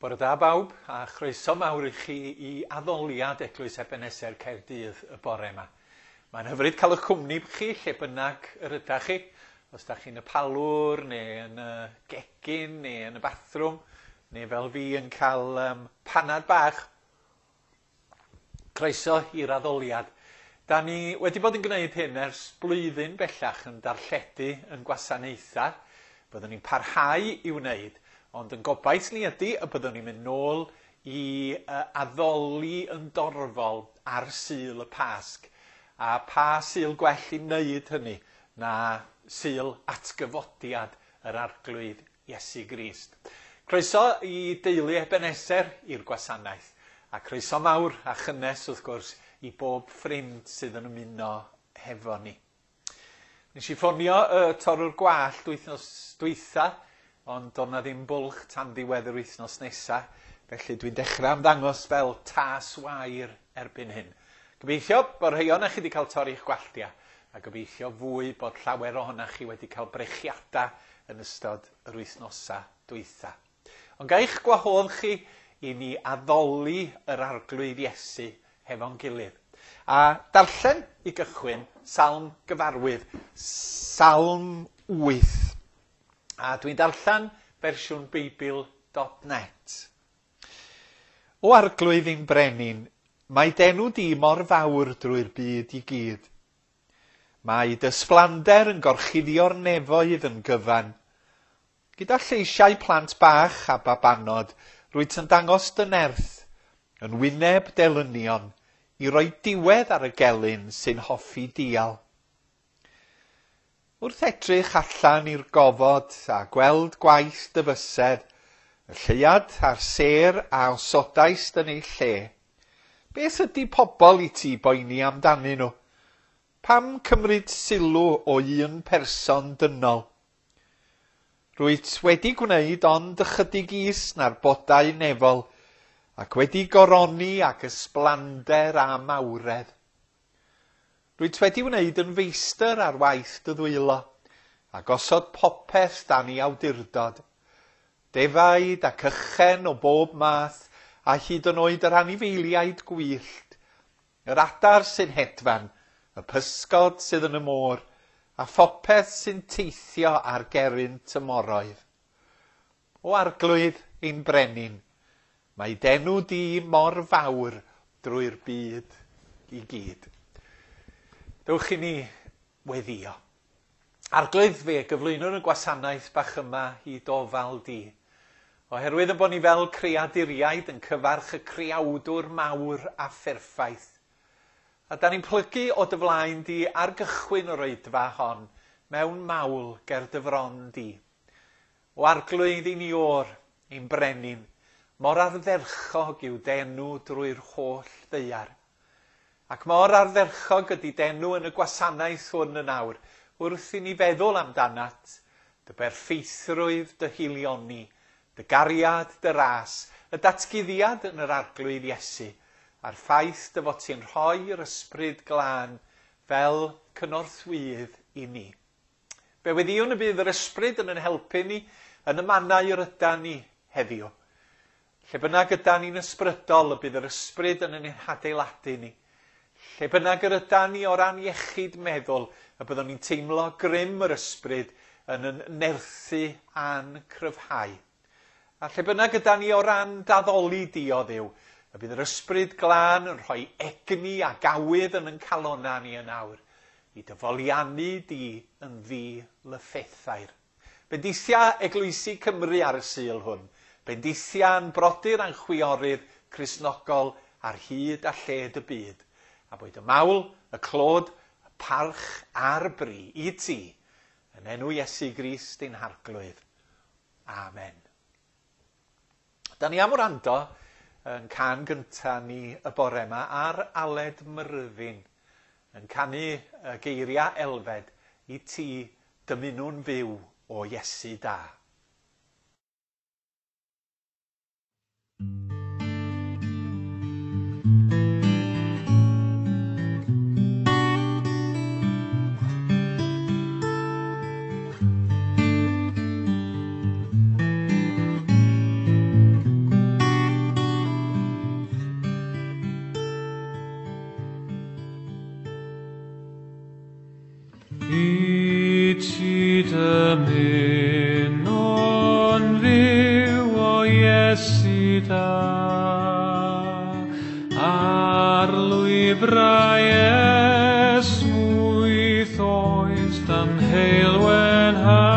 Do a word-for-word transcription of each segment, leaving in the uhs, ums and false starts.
Bore da bawb, a chroeso mawr i chi i addoliad Eglwys Ebeneser Caerdydd y bore yma. Mae'n hyfryd cael eich cwmni chi lle bynnag yr ydach chi. Os da chi'n y palwr, neu yn y gegin, neu yn y bathrwm, neu fel fi yn cael um, panad bach. Croeso i'r addoliad. Da ni wedi bod yn gwneud hyn ers blwyddyn bellach yn darlledu yn gwasanaethau. Byddwn ni'n parhau i wneud, ond yn gobaith ni ydy y byddwn ni'n mynd nôl i uh, addoli yn dorfol ar Sul y Pasg. A pa Sul gwell i wneud hynny na Sul atgyfodiad yr Arglwydd Iesu Grist. Croeso i deulu Ebeneser i'r gwasanaeth, a croeso mawr a chynnes wrth gwrs i bob ffrind sydd yn ymuno hefo ni. Nes i ffonio y uh, torrwr gwallt wythnos dwytha, ond doedd 'na ddim bwlch tan ddiwedd yr wythnos nesa, felly dwi'n dechrau ymddangos fel tas wair erbyn hyn. Gobeithio bod rhai ohonoch chi wedi cael torri'ch gwalltia, a gobeithio fwy bod llawer ohonoch chi wedi cael brechiadau yn ystod yr wythnosa dwytha. Ond ga i'ch gwahodd chi i ni addoli yr Arglwydd Iesu hefo'n gilydd. A darllen i gychwyn Salm gyfarwydd, Salm wyth. A dwi'n darllen fersiwn Beibl dot net. O Arglwydd ein brenin, mae d'enw di mor fawr drwy'r byd i gyd. Mae dy ysblander yn gorchuddio'r nefoedd yn gyfan. Gyda lleisiau plant bach a babanod, rwyt yn dangos dy nerth, yn wyneb delynion, i roi diwedd ar y gelyn sy'n hoffi dial. Wrth edrych allan i'r gofod a gweld gwaith dy fysedd, y lleuad a'r sêr a osodaist yn ei lle, beth ydy pobl i ti boeni amdanyn nhw? Pam cymryd sylw o un person dynol? Rwyt wedi gwneud ond ychydig is na'r bodau nefol, ac wedi goroni ac ysblander a mawredd. Rwyt wedi wneud yn feistr ar waith dy ddwylo, a gosod popeth dan ei awdurdod. Defaid ac ychen o bob math, a hyd yn oed yr anifeiliaid gwyllt, yr adar sy'n hedfan, y pysgod sydd yn y môr, a phopeth sy'n teithio ar gerrynt y moroedd. O Arglwydd ein brenin, mae d'enw di mor fawr drwy'r byd i gyd. Dewch i ni weddio. Arglwydd, fe gyflwynwn y gwasanaeth bach yma i dofal di. Oherwydd y bod ni fel creaduriaid yn cyfarch y creawdwr mawr a pherffaith. A da ni'n plygu o dy flaen di ar gychwyn o'r oedfa hon, mewn mawl ger dy fron di. O Arglwydd i ni o'r, ein brenin, mor ardderchog yw d'enw drwy'r holl ddaear. Ac mor ardderchog ydy d'enw yn y gwasanaeth hwn yn awr, wrth i ni feddwl amdanat, dy berffeithrwydd dy hilioni, dy gariad, dy ras, y datguddiad yn yr Arglwydd Iesu, a'r ffaith dy fod ti'n rhoi'r ysbryd glân fel cynorthwyydd i ni. Fe weddïwn y bydd yr ysbryd yn ein helpu ni yn y mannau yr ydan ni heddiw. Lle bynnag ydan ni'n ysbrydol, y bydd yr ysbryd yn ein hadeiladu ni. Lle bynnag yr ydan ni o ran iechyd meddwl, y byddwn ni'n teimlo grym yr ysbryd yn yn nerthu a'n cryfhau. A lle bynnag ydan ni o ran daddoli di o Dduw, y bydd yr ysbryd glân yn rhoi egni a gawydd yn yn calonna ni yn awr, i dyfoliannu di yn ddi-lyffethair. Bendithia Eglwysi Cymru ar y Sul hwn. Bendithia'n brodyr a'n chwiorydd Cristnogol ar hyd a lled y byd. A boed y mawl, y clod, y parch a'r bri i ti, yn enw Iesu Grist ein Harglwydd. Amen. Da ni am wrando yn can gynta ni y bore yma ar Aled Myrddin, yn canu y geiriau Elfed i ti dymunwn fyw o Iesu da. Iesu da, ar lwybrau esmwyth oes dan heulwen ha,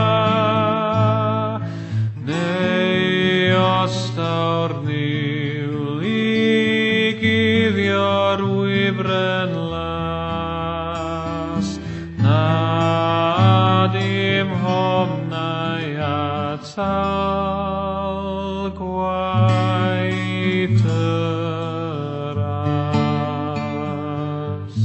neu os daw'r niwl i guddio'r wybren las, na dim homnau atal gwaith y ras.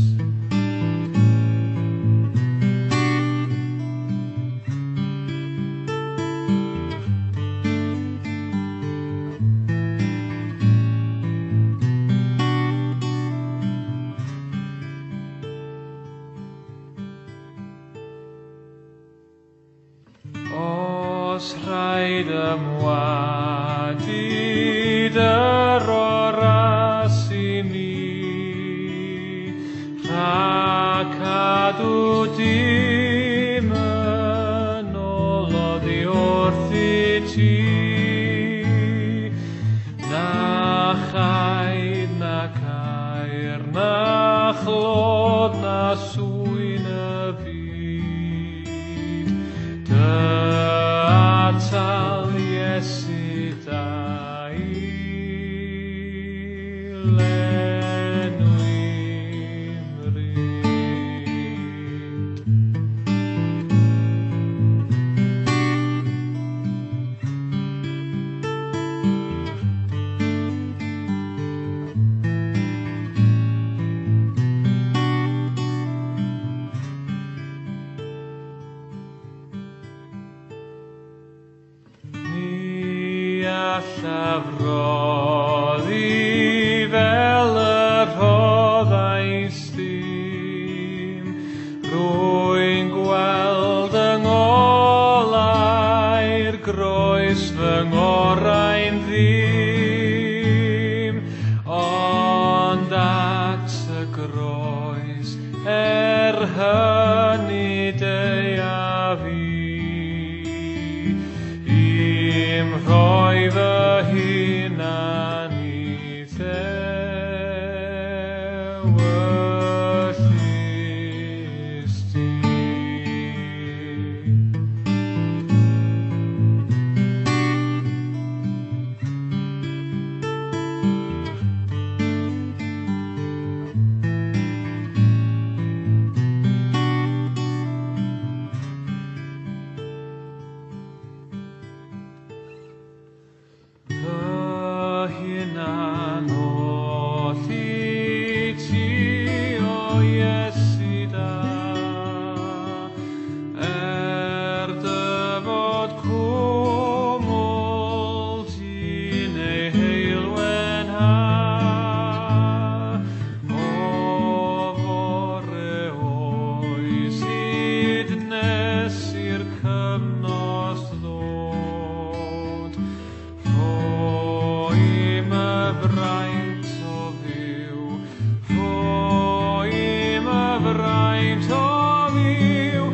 Os rhaid ymwadu dy oras i mi, rhag cadw dim yn ôl oddi wrthyt ti, na chaid na caer na chlod na swyn y byd, dy atal Iesu da i lenwi mryd. Ni allaf roddi fel y rhoddais dim, rwy'n gweld yng ngolau'r groes fy ngorau'n ddim, ond at y groes er hynny deuaf i, i'm rhoi fy hunan i ddewis di. Fy hunan oll i ti, o Iesu da, er dy fod cwmwl ti'n ei heulwen ha, o fore oes hyd nes i'r cymnos ddod, rhoi my fraint o fyw, rhoi my fraint o fyw,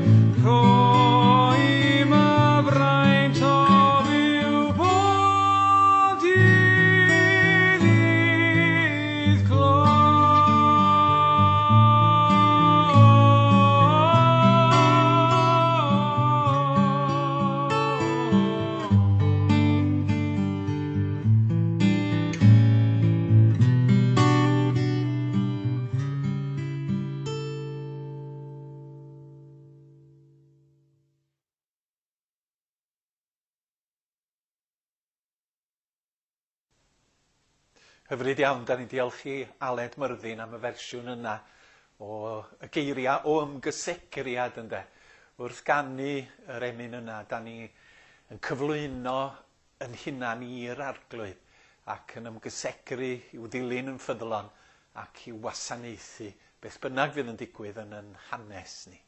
rhoi my fraint o fyw bob dydd i'th glod. Hyfryd iawn, da ni'n diolch i Aled Myrddin am y fersiwn yna o y geiriau o ymgysegriad ynde. Wrth ganu yr emyn yna, da ni yn cyflwyno yn hunan i'r Arglwydd ac yn ymgysegru i'w ddilyn yn ffyddlon ac i'w wasanaethu beth bynnag fydd yn digwydd yn yn hanes ni.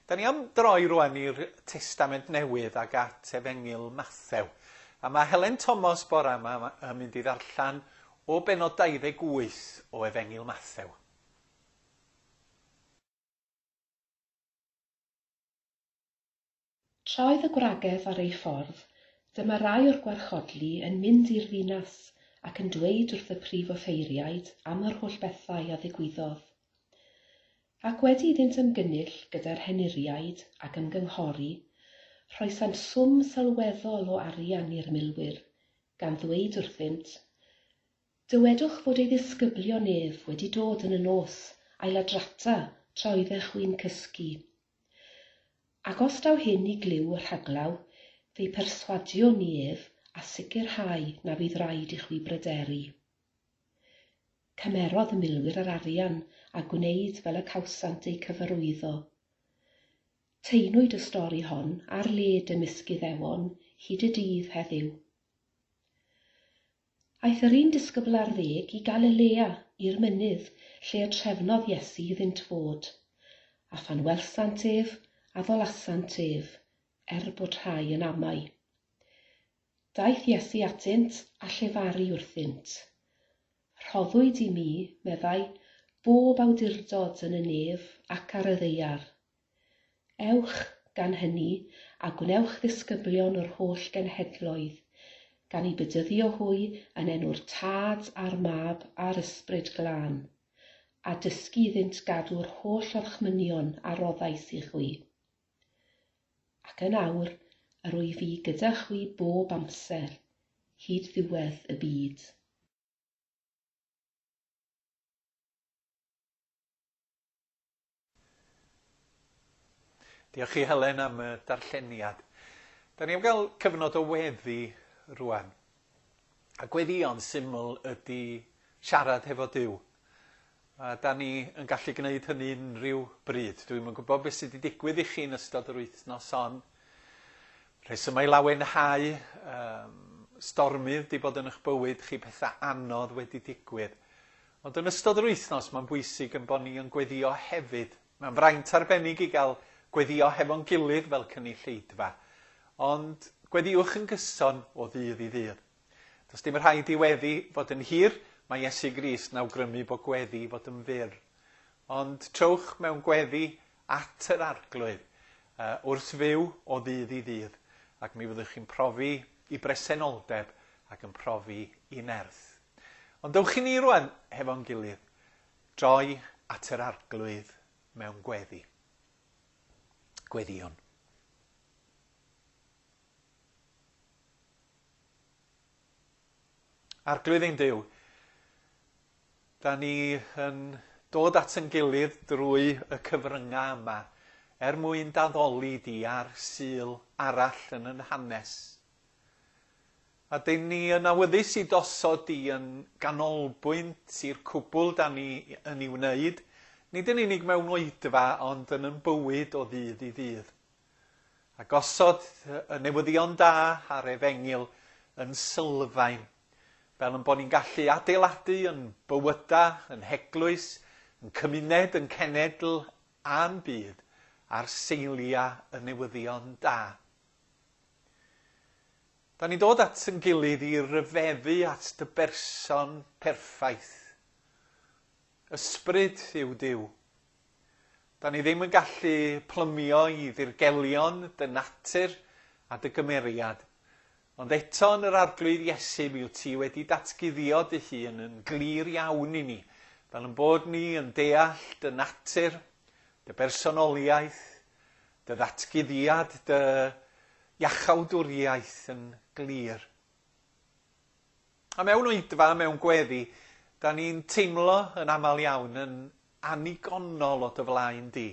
Da ni am droi rwan i'r Testament Newydd ag at Efengyl Mathew. A mae Helen Thomas bora yma yn mynd i ddarllen o bennod dau ddeg wyth o Efengyl Mathew. Tra oedd y gwragedd ar eu ffordd, Dyma rai o'r gwarchodlu yn mynd i'r ddinas ac yn dweud wrth y prif offeiriaid am yr holl bethau a ddigwyddodd. Ac wedi iddynt ymgynnull gyda'r henuriaid ac ymgynghori, rhoesant swm sylweddol o arian i'r milwyr, gan ddweud wrthynt, "Dywedwch fod ei ddisgyblion ef wedi dod yn y nos a'i ladrata tra oeddech chwi'n cysgu. Ac os daw hyn i glyw y rhaglaw, fe'i perswadiwn ni ef a sicrhau na fydd raid i chwi bryderu." Cymerodd y milwyr yr arian a gwneud fel y cawsant eu cyfarwyddo. Taenwyd y stori hon ar led ymysg Iddewon hyd y dydd heddiw. Aeth yr un disgybl ar ddeg i Galilea i'r mynydd lle y trefnodd Iesu iddynt fod, a phan welsant ef, addolasant ef, er bod rhai yn amau. Daeth Iesu atynt a llefaru wrthynt. "Rhoddwyd i mi," meddai, "bob awdurdod yn y nef ac ar y ddaear. Ewch, gan hynny, a gwnewch ddisgyblion o'r holl genhedloedd, gan eu bedyddio hwy yn enw'r Tad a'r Mab a'r Ysbryd Glân, a dysgu iddynt gadw'r holl orchmynion a roddais i chwi. Ac yn awr, yr wyf fi gyda chwi bob amser, hyd ddiwedd y byd." Diolch i Helen am y darlleniad. Da ni am gael cyfnod o weddi rwan. A gweddïo'n syml ydy siarad hefo Duw. A da ni yn gallu gwneud hynny unrhyw bryd. Dwi'm yn gwybod beth sydd wedi digwydd i chi yn ystod yr wythnos hon. Rhesymau lawenhau, um, stormydd wedi bod yn eich bywyd chi, pethau anodd wedi digwydd. Ond yn ystod yr wythnos mae'n bwysig yn bod ni yn gweddio hefyd. Mae'n fraint arbennig i gael gweddio hefo'n gilydd fel cynulleidfa. Ond gweddiwch yn gyson o ddydd i ddydd. Does dim rhaid i weddi fod yn hir, mae Iesu Grist yn awgrymu bod gweddi fod yn fyr. Ond trowch mewn gweddi at yr Arglwydd uh, wrth fyw o ddydd i ddydd, ac mi fyddwch chi'n profi i bresenoldeb ac yn profi i nerth. Ond dewch i ni rwan hefo'n gilydd, droi at yr Arglwydd mewn gweddi. Gweddïwn. Arglwydd ein Duw, da ni yn dod at ein gilydd drwy y cyfryngau yma er mwyn daddoli di ar Sul arall yn yn hanes. A dyn ni yn awyddus i dosod di yn ganolbwynt i'r cwbl da ni yn ei wneud, nid yn unig mewn oedfa, ond yn yn bywyd o ddydd i ddydd. A gosod y newyddion da a'r efengyl yn sylfaen, fel yn bod ni'n gallu adeiladu yn bywyda, yn heglwys, yn cymuned, yn cenedl a'n byd ar seiliau y newyddion da. Da ni'n dod at yn gilydd i ryfeddu at dy berson perffaith. Ysbryd yw Duw. Da ni ddim yn gallu plymio i ddirgelion dy natur a dy gymeriad. Ond eto yn yr Arglwydd Iesu mi wyt ti wedi datguddio dy hun yn glir iawn i ni, fel yn bod ni yn deall dy natur, dy bersonoliaeth, dy ddatguddiad, dy iachawdwriaeth yn glir. A mewn oedfa, mewn gweddi, da ni'n teimlo yn aml iawn yn annigonol o dy flaen di,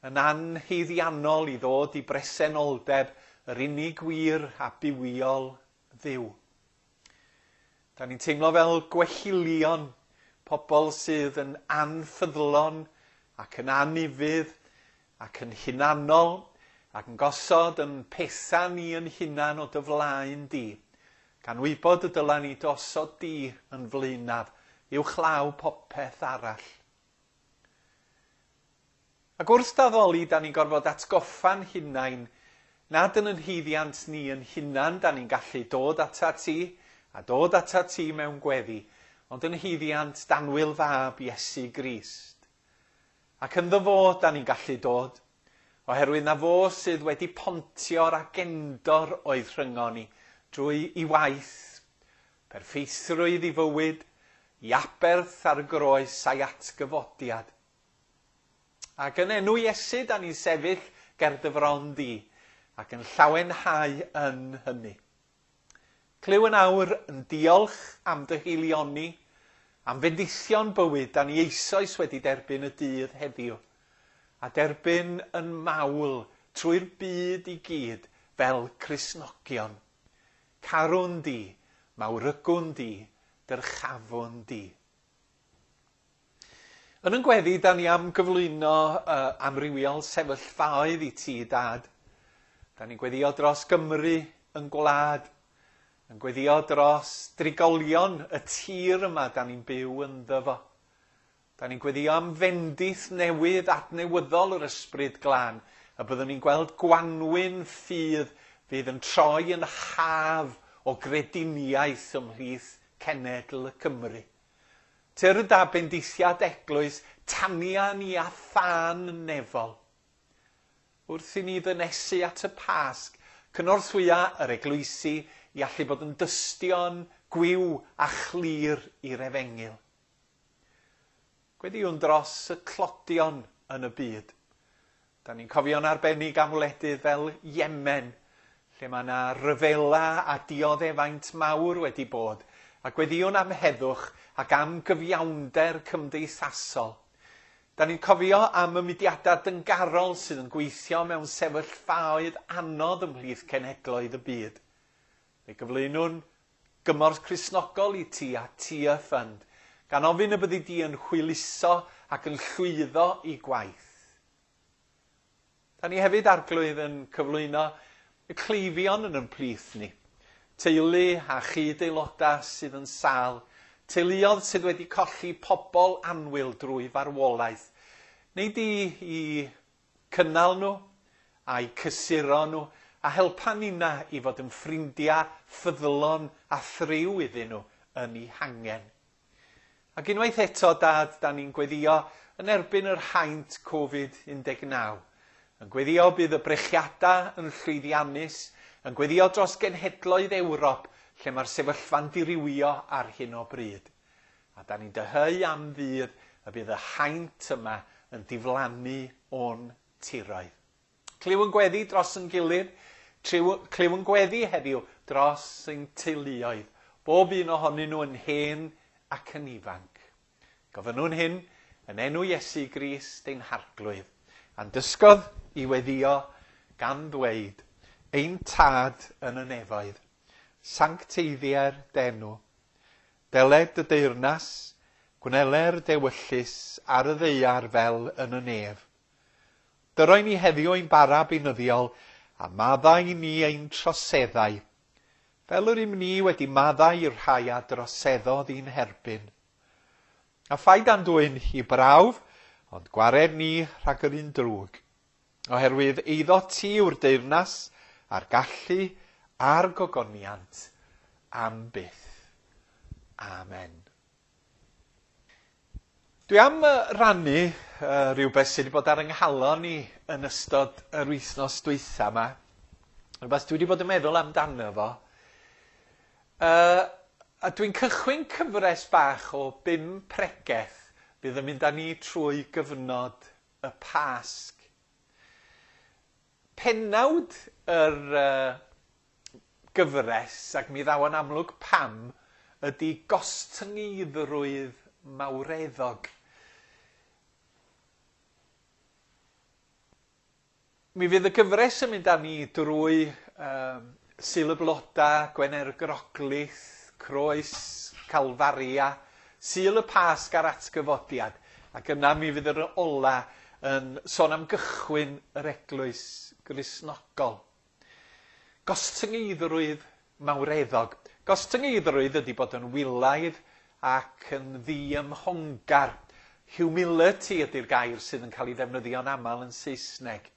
yn anhaeddiannol i ddod i bresenoldeb yr unig wir a bywiol Dduw. Da ni'n teimlo fel gwellilion, pobl sydd yn anffyddlon ac yn anufudd ac yn hunanol ac yn gosod yn pethau ni yn hunan o dy flaen di, gan wybod y dyla ni dosod di yn flaenaf, uwchlaw popeth arall. Ac wrth daddoli, da ni'n gorfod atgoffa'n hunain nad yn yn haeddiant ni yn hunan da ni'n gallu dod atat ti a dod atat ti mewn gweddi, ond yn haeddiant danwyl fab Iesu Grist. Ac ynddo fo da ni'n gallu dod, Oherwydd na fo sydd wedi pontio'r agendor oedd rhyngon ni drwy i waith, perffeithrwydd i fywyd, i aberth ar y groes a'i atgyfodiad. Ac yn enw Iesu, da ni'n sefyll ger dy fron di ac yn llawenhau yn hynny. Clyw yn awr yn diolch am dy haelioni, am fendithion bywyd da ni eisoes wedi derbyn y dydd heddiw, a derbyn yn mawl trwy'r byd i gyd fel Cristnogion. Carwn di, mawrygwn di, dyrchafwn di. Yn yn gweddi, da ni am gyflwyno uh, amrywiol sefyllfaoedd i ti, Dad. Da ni'n gweddio dros Gymru yn gwlad, yn gweddio dros drigolion y tir yma da ni'n byw ynddo fo. Da ni'n gweddio am fendith newydd adnewyddol yr Ysbryd Glân, a byddwn ni'n gweld gwanwyn ffydd fydd yn troi yn haf o grediniaeth ymhlith cenedl y Cymru. Tyrd â bendithiad eglwys, tania ni a thân nefol. Wrth i ni ddynesu at y Pasg, cynorthwya yr eglwysi i allu bod yn dystion gwiw a chlir i'r efengyl. Gweddiwn dros y tlodion yn y byd. Da ni'n cofio'n arbennig am wledydd fel Yemen, lle mae yna ryfela a dioddefaint mawr wedi bod, a gweddiwn am heddwch ac am gyfiawnder cymdeithasol. Da ni'n cofio am y mudiadau dyngarol sydd yn gweithio mewn sefyllfaoedd anodd ymhlith cenhedloedd y byd. Fe gyflwynwn gymorth Cristnogol i ti a Tearfund, gan ofyn y byddi di yn hwyluso ac yn llwyddo i gwaith. Da ni hefyd, Arglwydd, yn cyflwyno y cleifion yn ymplith ni. Teulu a chyd-aelodau sydd yn sâl, teuluoedd sydd wedi colli pobl annwyl drwy farwolaeth. Neu di i cynnal nhw a'i cysuro nhw a helpa nina i fod yn ffrindiau ffyddlon a thriw iddyn nhw yn eu hangen. Ac unwaith eto, Dad, da ni'n gweddio yn erbyn yr haint Covid un deg naw. Yn gweddio bydd y brechiadau yn llwyddiannus, yn gweddio dros genhedloedd Ewrop, lle mae'r sefyllfa'n dirywio ar hyn o bryd. A da ni'n dyheu am ddydd y bydd y haint yma yn diflannu o'n tiroedd. Clyw yn gweddi dros yn gilydd, clyw yn gweddi heddiw dros ein teuluoedd, bob un ohonyn nhw yn hen ac yn ifanc. Gofynnwn hyn yn enw Iesu Grist ein Harglwydd, a'n dysgodd i weddio gan ddweud, ein Tad yn y nefoedd, sancteiddier d'enw, deled dy deyrnas, gwneler d'ewyllys ar y ddaear fel yn y nef. Dyroi ni heddiw ein bara beunyddiol, a maddau ni ein troseddau, fel yr ym ni wedi maddau i'r rhai a droseddodd i'n herbyn. A phaid â'n dwyn i brawf, ond gwared ni rhag yr un drwg. Oherwydd eiddo ti yw'r deyrnas, a'r gallu, a'r gogoniant, am byth. Amen. Dwi am rannu uh, rhywbeth sydd wedi bod ar yng nghalon i yn ystod yr wythnos dwytha yma. Rhywbeth dwi wedi bod yn meddwl amdano fo. Uh, a dwi'n cychwyn cyfres bach o bum pregeth fydd yn mynd â ni trwy gyfnod y Pasg. Pennawd yr uh, gyfres, ac mi ddaw yn amlwg pam, ydy gostyngeiddrwydd mawreddog. Mi fydd y gyfres yn mynd â ni drwy um, Sul y Bloda, Gwener Groglith, Croes, Calfaria, Sul y Pasg a'r Atgyfodiad, ac yna mi fydd yr ola yn sôn am gychwyn yr eglwys Gristnogol. Gostyngeiddrwydd mawreddog. Gostyngeiddrwydd ydy bod yn wylaidd ac yn ddiymhongar. Humility ydy'r gair sydd yn cael ei ddefnyddio'n aml yn Saesneg.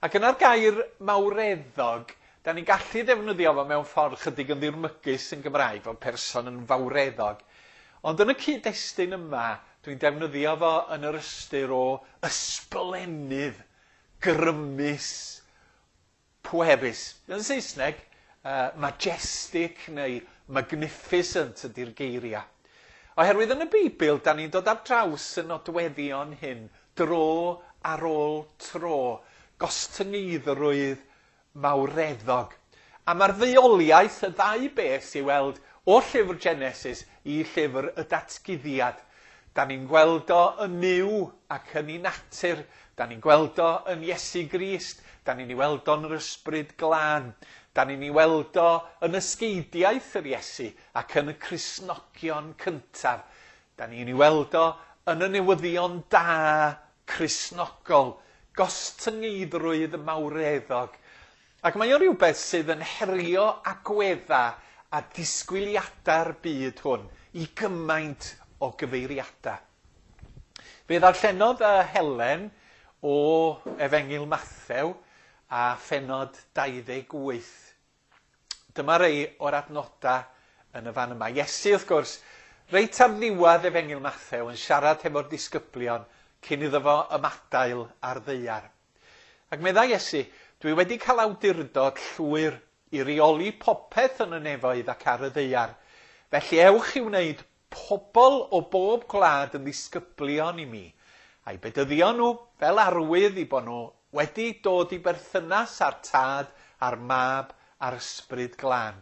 Ac yna'r gair mawreddog, da ni'n gallu ddefnyddio fo mewn ffordd chydig yn ddirmygus yn Gymraeg, fel person yn fawreddog. Ond yn y cyd-destun yma, dwi'n defnyddio fo yn yr ystyr o ysblennydd, grymus, pwerus. Yn Saesneg, uh, majestic neu magnificent ydy'r geiriau. Oherwydd yn y Beibl, da ni'n dod ar draws y nodweddion hyn, dro ar ôl tro, gostyngeiddrwydd mawreddog. A mae'r ddeuoliaeth, y ddau beth i weld o llyfr Genesis i llyfr y Datguddiad. Da ni'n gweld o yn Nuw ac yn ei natur. Da ni'n gweld o yn Iesu Grist. Da ni'n ei weld o'n yr Ysbryd Glân. Da ni'n ei weld o yn ysgeidiaeth yr Iesu ac yn y Cristnogion cyntaf. Da ni'n ei weld o yn y newyddion da Cristnogol, gostyngeiddrwydd mawreddog. Ac mae o rhywbeth sydd yn herio agwedda a disgwyliadau'r byd hwn i gymaint o gyfeiriadau. Fe ddarllenodd Helen o Efengyl Mathew a phennod dau ddeg wyth. Dyma rei o'r adnodau yn y fan yma. Iesu, wrth gwrs, reit ar ddiwedd Efengyl Mathew yn siarad hefo'r disgyblion cyn iddo fo ymadael ar ddaear. Ac meddai Iesu, dwi wedi cael awdurdod llwyr i reoli popeth yn y nefoedd ac ar y ddaear. Felly ewch i wneud pobl o bob gwlad yn ddisgyblion i mi, a'i bedyddio nhw fel arwydd i bod nhw wedi dod i berthynas â'r Tad, a'r Mab, a'r Ysbryd Glân.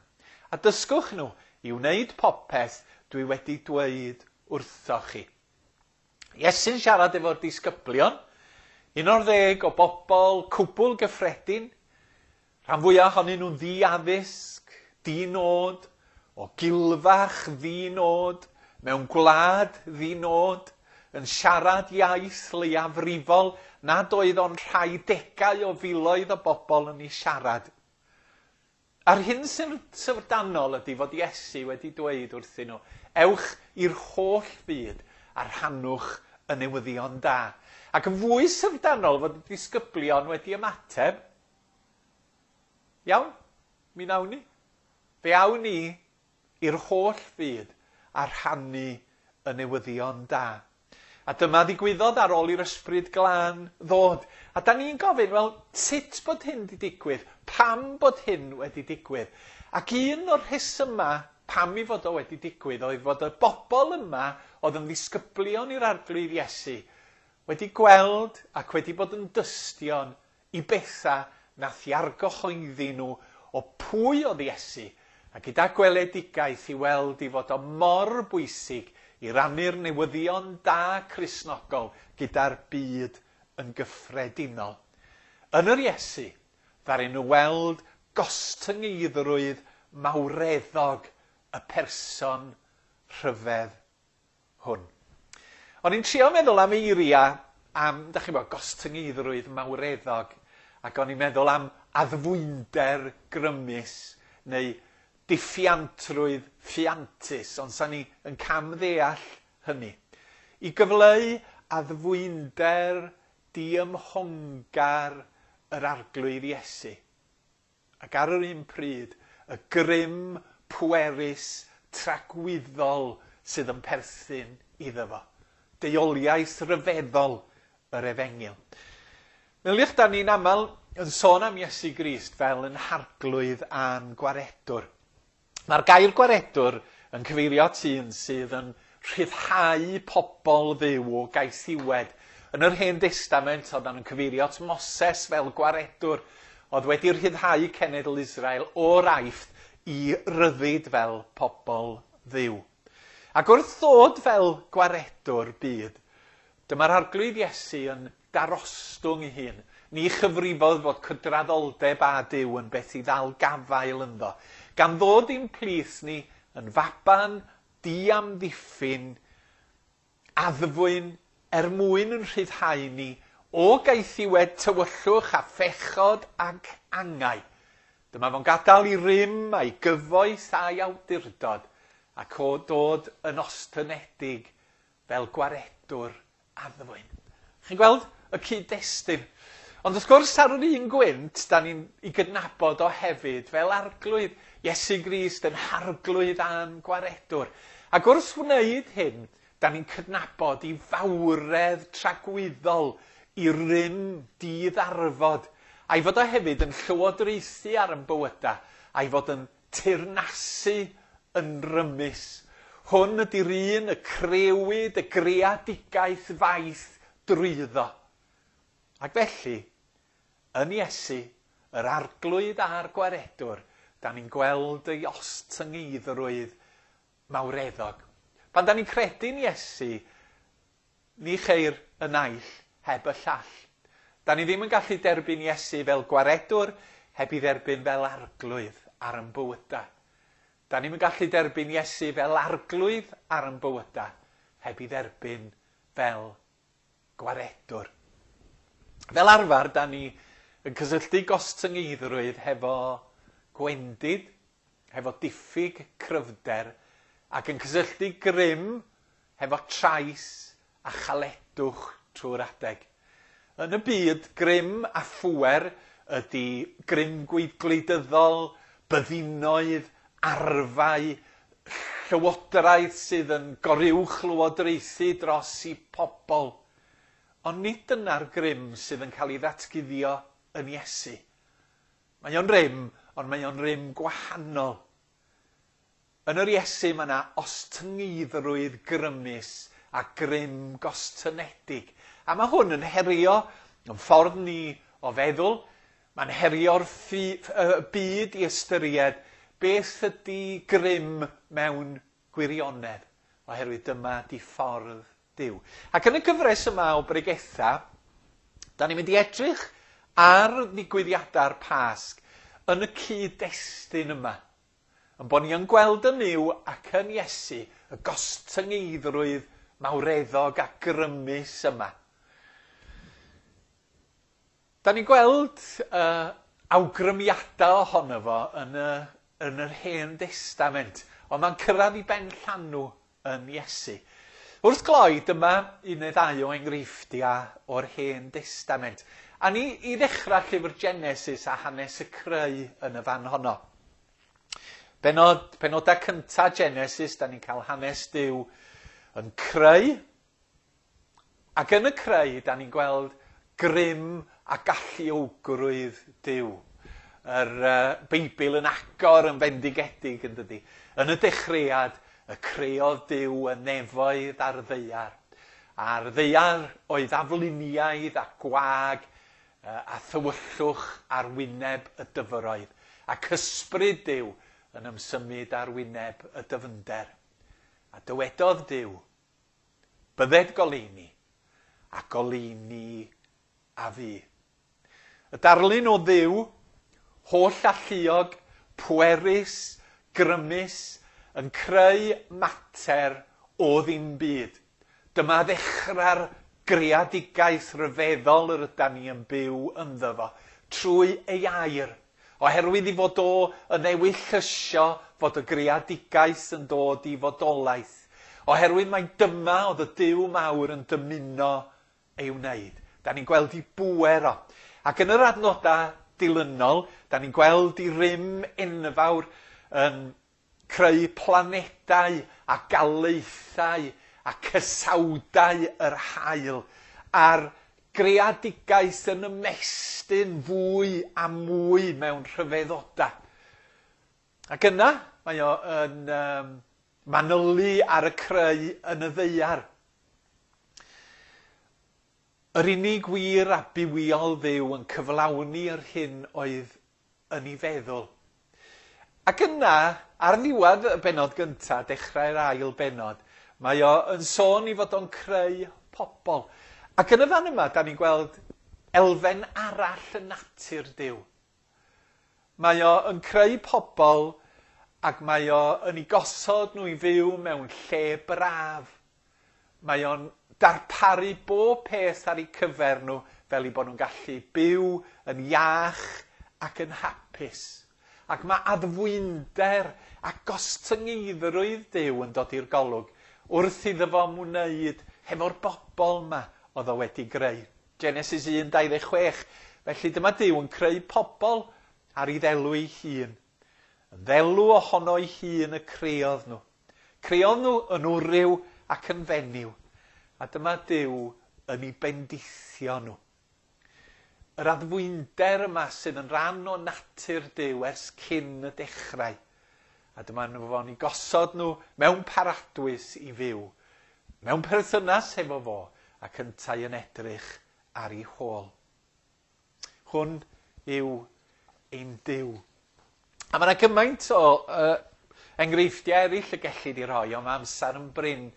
A dysgwch nhw i wneud popeth dwi wedi dweud wrthoch chi. Iesu'n siarad efo'r disgyblion, un o'r ddeg o bobl cwbl gyffredin, rhan fwyaf ohonyn nhw'n ddi-addysg, di-nod, o gilfach ddi-nod, mewn gwlad ddi-nod, yn siarad iaith leiafrifol nad oedd o'n rhai degau o filoedd o bobl yn ei siarad. A'r hyn sy'n syfrdanol ydy fod Iesu wedi dweud wrthyn nhw, ewch i'r holl fyd a rhannwch y newyddion da. Ac yn fwy syfrdanol fod y disgyblion wedi ymateb, iawn, mi nawn ni. Fe awn ni i'r holl fyd a rhannu y newyddion da. A dyma ddigwyddodd ar ôl i'r Ysbryd Glân ddod. A da ni'n gofyn, wel, sut bod hyn wedi digwydd? Pam bod hyn wedi digwydd? Ac un o'r rhesymau pam i fod o wedi digwydd oedd fod y bobl yma oedd yn ddisgyblion i'r Arglwydd Iesu wedi gweld ac wedi bod yn dystion i bethau nath i argyhoeddi nhw o pwy oedd Iesu, a gyda gweledigaeth i weld i fod o mor bwysig i rannu'r newyddion da Cristnogol gyda'r byd yn gyffredinol. Yn yr Iesu, ddaru nhw weld gostyngeiddrwydd mawreddog y person rhyfedd hwn. O'n i'n trio meddwl am eiriau am, da chi'n gwybod, gostyngeiddrwydd mawreddog, ac o'n i'n meddwl am addfwynder grymus neu diffiantrwydd ffiantus, ond sa'n ni yn camddeall hynny. I gyfleu addfwynder diymhongar yr Arglwydd Iesu. Ac ar yr un pryd, y grym pwerus tragwyddol sydd yn perthyn iddo fo. Deuoliaeth ryfeddol yr Efengyl. Meddyliwch, da ni'n aml yn sôn am Iesu Grist fel yn harglwydd a'n gwaredwr. Mae'r gair gwaredwr yn cyfeirio at un sydd yn rhyddhau pobl Dduw o gaethiwed. Yn yr Hen Destament, oedd yn cyfeirio at Moses fel gwaredwr, oedd wedi rhyddhau cenedl Israel o'r Aifft i ryddid fel pobl Dduw. Ac wrth ddod fel gwaredwr byd, dyma'r Arglwydd Iesu yn darostwng ei hun. Ni chyfrifodd fod cydraddoldeb â Duw yn beth i ddal gafael ynddo, gan ddod i'n plith ni yn faban diamddiffyn, addfwyn er mwyn yn rhyddhau ni o gaethiwed tywyllwch a phechod ac angau. Dyma fo'n gadael i rym a'i gyfoeth a'i awdurdod ac o dod yn ostynedig fel gwaredwr addfwyn. Chi'n gweld y cyd-destun? Ond wrth gwrs ar yr un gwynt, da ni'n ei gydnabod o hefyd fel arglwydd, Iesu Grist yn harglwydd a'n gwaredwr. Ac wrth wneud hyn, da ni'n cydnabod i fawredd tragwyddol i rym diddarfod, a'i fod o hefyd yn llywodraethu ar ein bywyda, a'i fod yn teyrnasu yn rymus. Hwn ydy'r un y crewyd y greadigaeth faith drwyddo. Ac felly, yn Iesu, yr arglwydd a'r gwaredwr, da ni'n gweld ei ostyngeiddrwydd mawreddog. Pan da ni'n credu'n Iesu, ni cheir y naill heb y llall. Da ni ddim yn gallu derbyn Iesu fel gwaredwr heb i dderbyn fel arglwydd ar ein bywydau. Da ni'n gallu derbyn Iesu fel arglwydd ar ein bywydau heb i dderbyn fel gwaredwr. Fel arfer, da ni yn cysylltu gostyngeiddrwydd hefo gwendid, hefo diffyg cryfder, ac yn cysylltu grym hefo trais a chaledwch trwy'r adeg. Yn y byd, grym a phŵer ydy grym gwleidyddol, byddinoedd, arfau, llywodraeth sydd yn goruwch lywodraethu dros i pobl. Ond nid dyna'r grym sydd yn cael ei ddatguddio yn Iesu. Mae o'n rym, ond mae o'n rym gwahanol. Yn yr Iesu mae yna ostyngeiddrwydd grymus a grym gostynedig. A mae hwn yn herio yn ffordd ni o feddwl. Mae'n herio'r byd i ystyried beth ydy grym mewn gwirionedd, oherwydd dyma di ffordd Duw. Ac yn y gyfres yma o bregetha, da ni'n mynd i edrych ar ddigwyddiadau'r Pasg yn y cyd-destun yma. Yn bod ni yn gweld yn Nuw ac yn Iesu y gostyngeiddrwydd mawreddog a grymus yma. Da ni'n gweld uh, awgrymiadau ohono fo yn y, yn yr Hen Destament, ond mae'n cyrraedd i ben llanw yn Iesu. Wrth gloi, dyma un neu ddau o enghreifftiau o'r Hen Destament. A ni i ddechrau llyfr Genesis a hanes y creu yn y fan honno. Benod, penodau cyntaf Genesis, da ni'n cael hanes Duw yn creu. Ac yn y creu, da ni'n gweld grym a galluogrwydd Duw. Yr uh, Beibl yn agor yn fendigedig, yn dydi. Yn y dechreuad, y creodd Duw y nefoedd a'r ddaear. A'r ddaear oedd afluniaidd a gwag a thywyllwch ar wyneb y dyfroedd. Ac ysbryd Duw yn ymsymud ar wyneb y dyfnder. A dywedodd Duw, bydded goleuni, a goleuni a fu. Y darlun o Dduw, holl alluog, pwerus, grymus, yn creu mater o ddim byd. Dyma ddechrau'r greadigaeth ryfeddol yr ydan ni yn byw ynddo fo, trwy ei air. Oherwydd i fod o yn ewyllysio fod y greadigaeth yn dod i fodolaeth. Oherwydd mai dyma oedd y Duw mawr yn dymuno ei wneud. Da ni'n gweld i bŵer o. Ac yn yr adnodau dilynol, da ni'n gweld i rym enfawr yn creu planedau a galaethau a cysawdau yr haul a'r greadigaeth yn ymestyn fwy a mwy mewn rhyfeddodau. Ac yna mae o yn um, manylu ar y creu yn y ddaear. Yr unig wir a bywiol Dduw yn cyflawni yr hyn oedd yn ei feddwl. Ac yna, ar ddiwedd y bennod gyntaf, dechrau'r ail bennod, mae o yn sôn i fod o'n creu pobl. Ac yn y fan yma, da ni'n gweld elfen arall yn natur Duw. Mae o yn creu pobl ac mae o yn ei gosod nhw i fyw mewn lle braf. Mae o'n darparu bob peth ar eu cyfer nhw fel eu bod nhw'n gallu byw yn iach ac yn hapus. Ac mae addfwynder a gostyngeiddrwydd Duw yn dod i'r golwg wrth iddo fo ymwneud hefo'r bobl yma oedd o wedi greu. Genesis un dau ddeg chwech. Felly dyma Duw yn creu pobl ar ei ddelw ei hun. Yn ddelw ohono ei hun y creodd nhw. Creodd nhw yn wryw ac yn fenyw. A dyma Duw yn ei bendithio nhw. Yr addfwynder yma sydd yn rhan o natur Duw ers cyn y dechrau. A dyma nhw fo'n ei gosod nhw mewn paradwys i fyw, mewn perthynas efo fo, ac yntau yn edrych ar ei hôl. Hwn yw ein Duw. A mae yna gymaint o uh, enghreifftiau eraill y gellid i roi, ond mae amser yn brin.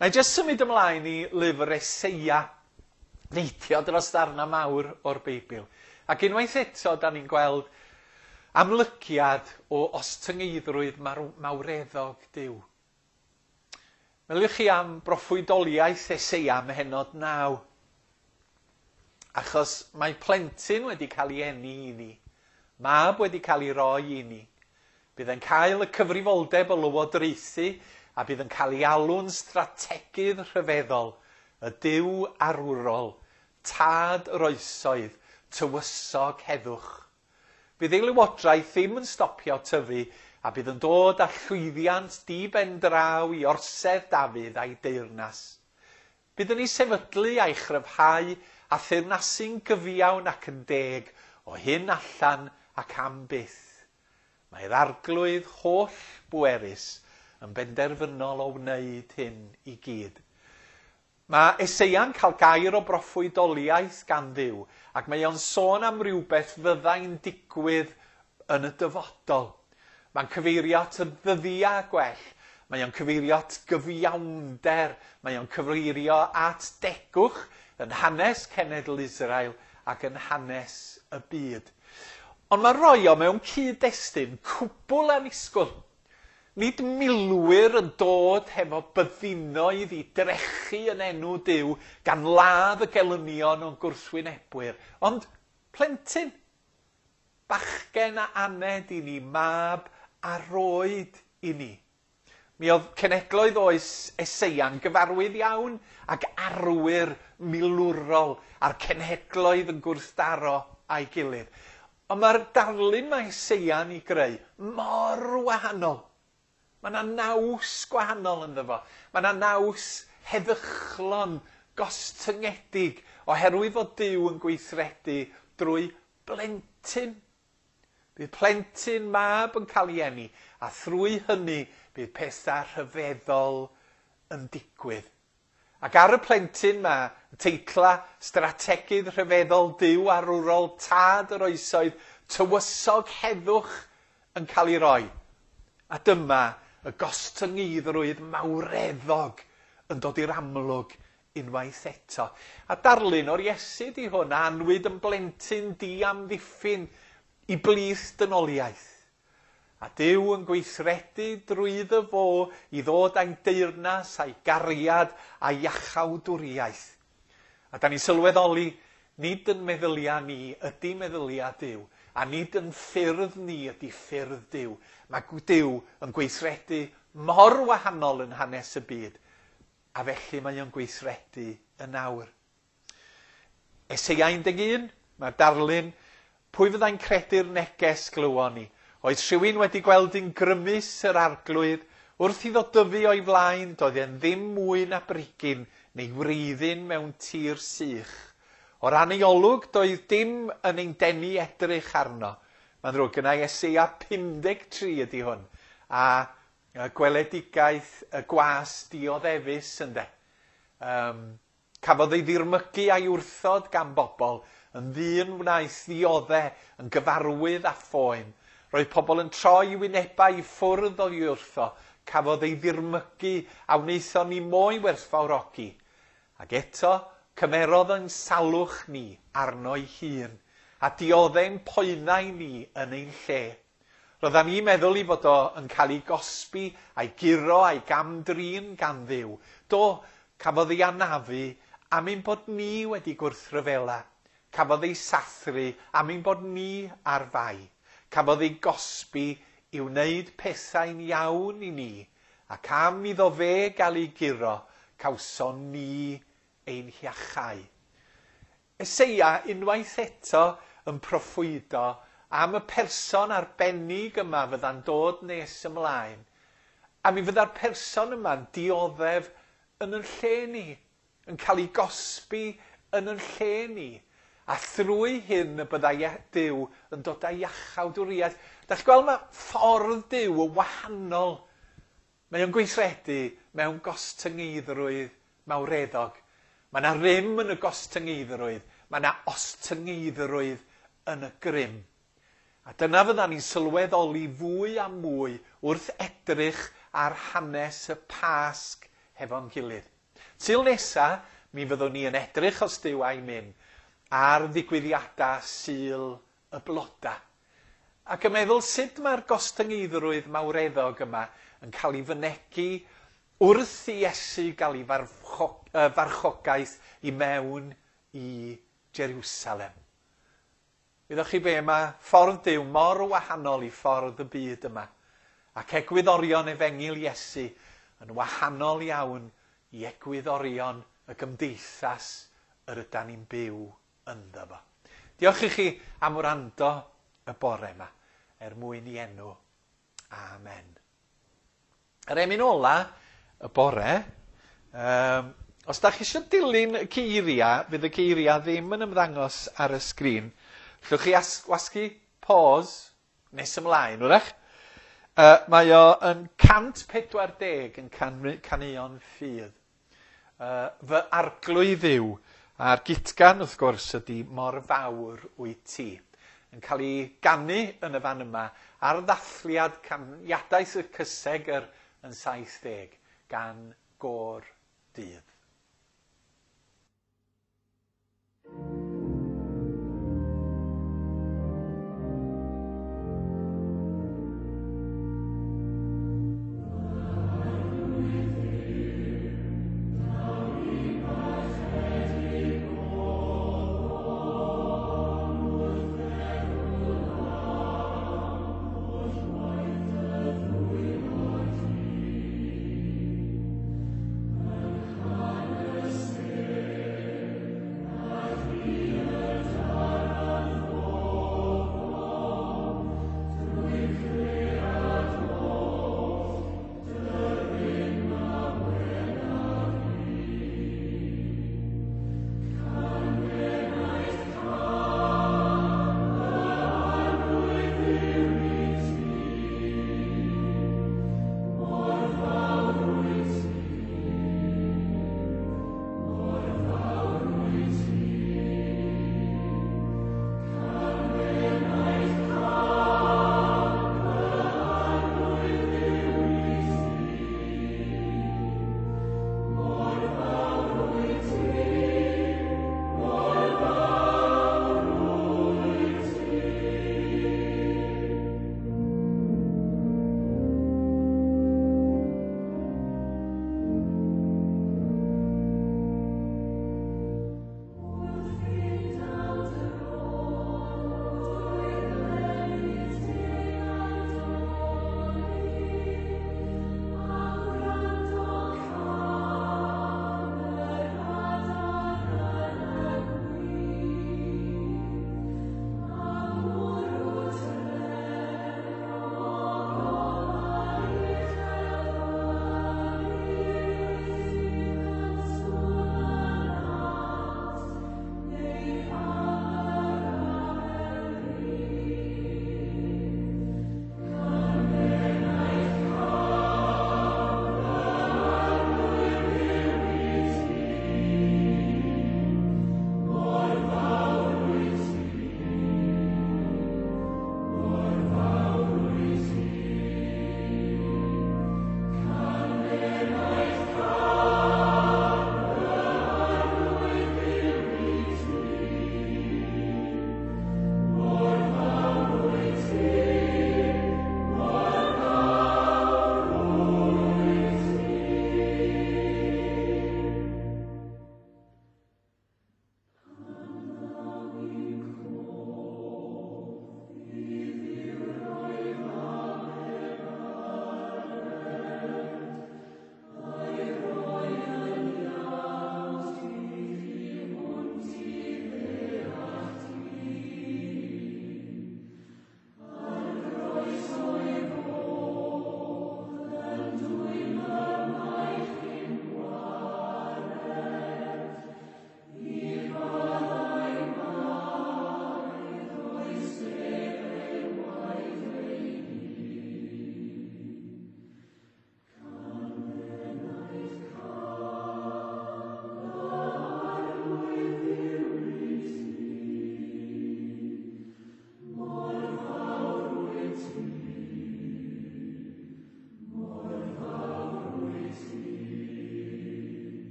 Na i jyst symud ymlaen i lyfr Eseia, neidio dros ddarna mawr o'r Beibl. Ac unwaith eto, da ni'n gweld amlygiad o ostyngeiddrwydd mawreddog Duw. Meddyliwch chi am broffwydoliaeth Eseia ym mhennod naw. Achos mae plentyn wedi cael ei eni i ni, mab wedi cael ei roi i ni. Bydd yn cael y cyfrifoldeb o lywodraethu a bydd yn cael ei alw'n strategydd rhyfeddol, y Duw arwrol, tad yr oesoedd, tywysog heddwch. Bydd ei lywodraeth ddim yn stopio tyfu a bydd yn dod â llwyddiant di-ben draw i orsedd Dafydd a'i deyrnas. Bydd yn ei sefydlu a'i chryfhau a theyrnasu'n gyfiawn ac yn deg o hyn allan ac am byth. Mae'r Arglwydd holl bwerus yn benderfynol o wneud hyn i gyd. Mae Eseia'n cael gair o broffwydoliaeth gan Dduw, ac mae o'n sôn am rywbeth fyddai'n digwydd yn y dyfodol. Mae'n cyfeirio at y ddyddiau gwell, mae o'n cyfeirio at gyfiawnder, mae o'n cyfeirio at degwch yn hanes cenedl Israel ac yn hanes y byd. Ond mae roi o mewn cyd-destun cwbl annisgwyl. Nid milwyr yn dod hefo byddinoedd i drechu yn enw Duw gan ladd y gelynion o'n gwrthwynebwyr, ond plentyn, bachgen a aned i ni, mab a roed i ni. Mi oedd cenedloedd oes Eseia'n gyfarwydd iawn ac arwyr milwrol a'r cenhedloedd yn gwrthdaro a'i gilydd. Ond mae'r darlun mae Eseia'n ei greu mor wahanol. Mae yna naws gwahanol ynddo fo. Mae yna naws heddychlon, gostyngedig, oherwydd fod Duw yn gweithredu drwy blentyn. Bydd plentyn mab yn cael ei eni, a thrwy hynny bydd pethau rhyfeddol yn digwydd. Ac ar y plentyn ma, teitla strategydd rhyfeddol Duw arwrol tad yr oesoedd, tywysog heddwch yn cael ei roi. A dyma y gostyngeiddrwydd mawreddog yn dod i'r amlwg unwaith eto. A darlun o'r Iesu di hwn, a anwyd yn blentyn diamddiffyn i blith dynoliaeth. A Duw yn gweithredu drwyddo fo i ddod â'i deyrnas a'i gariad a'i iachawdwriaeth. A da ni'n sylweddoli, nid yn meddyliau ni ydy meddyliau Duw, a nid yn ffyrdd ni ydy ffyrdd Duw. Mae Duw yn gweithredu mor wahanol yn hanes y byd, a felly mae o'n gweithredu yn awr. Eseia un deg un, mae'r darlun, pwy fyddai'n credu'r neges glywon ni? Oedd rhywun wedi gweld un grymus yr Arglwydd, wrth iddo dyfu o'i flaen, doedd e'n ddim mwy na brigyn neu wreiddyn mewn tir sych. O ran ei olwg, doedd dim yn ein denu edrych arno. Mae'n ddrwg gynna i Eseia pum deg tri ydy hwn, a gweledigaeth y gwas dioddefus ynde. Um, cafodd ei ddirmygu a'i wrthod gan bobl, yn ddyn wnaeth ddiodde, yn gyfarwydd a phoen. Roedd pobl yn troi wynebau i ffwrdd o'i wrtho, cafodd ei ddirmygu a wnaethon ni mo'i werthfawrogi. Ac eto, cymerodd yn salwch ni arno'i hun, a diodde'n poenau ni yn ein lle. Roeddan ni'n meddwl i fod o yn cael ei gosbi a'i guro a'i gamdrin gan Dduw. Do, cafodd ei anafu am ein bod ni wedi gwrthryfela. Cafodd ei sathru am ein bod ni ar fai. Cafodd ei gosbi i wneud pethau'n iawn i ni, ac am iddo fe gael ei guro, cawson ni ein hiachau. Eseia unwaith eto yn proffwydo am y person arbennig yma fydda'n dod nes ymlaen, a mi fydda'r person yma'n dioddef yn yn lle ni, yn cael ei gosbi yn yn lle ni, A thrwy hyn y byddai Duw yn dod â iachawdwriaeth. Dach chi'n gweld, mae ffordd Duw yn wahanol. Mae o'n gweithredu mewn gostyngeiddrwydd mawreddog. Mae yna rym yn y gostyngeiddrwydd. Mae yna ostyngeiddrwydd yn y grym. A dyna fyddan ni'n sylweddoli fwy a mwy wrth edrych ar hanes y Pasg hefo'n gilydd. Sul nesa, mi fyddwn ni yn edrych, os Duw a'i myn, ar ddigwyddiadau Sul y Bloda. Ac yn meddwl sut mae'r gostyngeiddrwydd mawreddog yma yn cael ei fynegi wrth i Iesu gael ei farchogaeth i mewn i Jerusalem. Wyddoch chi be, mae ffordd Duw mor wahanol i ffordd y byd yma. Ac egwyddorion efengyl Iesu yn wahanol iawn i egwyddorion y gymdeithas yr ydan ni'n byw ynddo fo. Diolch i chi am wrando y bore yma, er mwyn i enw. Amen. Yr emyn ola y bore, um, os da chi eisiau dilyn y geiriau, fydd y geiriau ddim yn ymddangos ar y sgrin. Llwch chi wasgu pause nes ymlaen, wrach. Uh, mae o yn cant pedwar deg yn can, caneuon ffydd. Uh, fy arglwydd yw, a'r gitgan wrth gwrs ydy mor fawr wyt ti. Yn cael ei ganu yn y fan yma ar ddathliad caniadaeth y cysegr yn saith deg gan Gôr Dydd. Oh.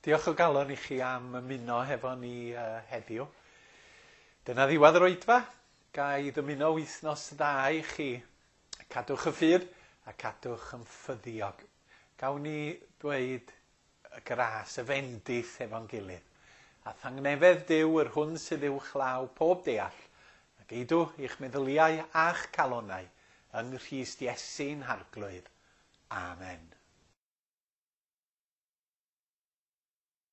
Diolch o galon i chi am ymuno hefo ni uh, heddiw. Dyna ddiwedd yr oedfa. Ga i ddymuno wythnos dda i chi. Cadwch y ffydd a cadwch yn ffyddiog. Gawn ni dweud y gras, y fendith efo'n gilydd. A thangnefedd Duw yr hwn sydd uwchlaw pob deall, a geidw i'ch meddyliau a'ch calonau yng Nghrist Iesu'n Harglwydd. Amen.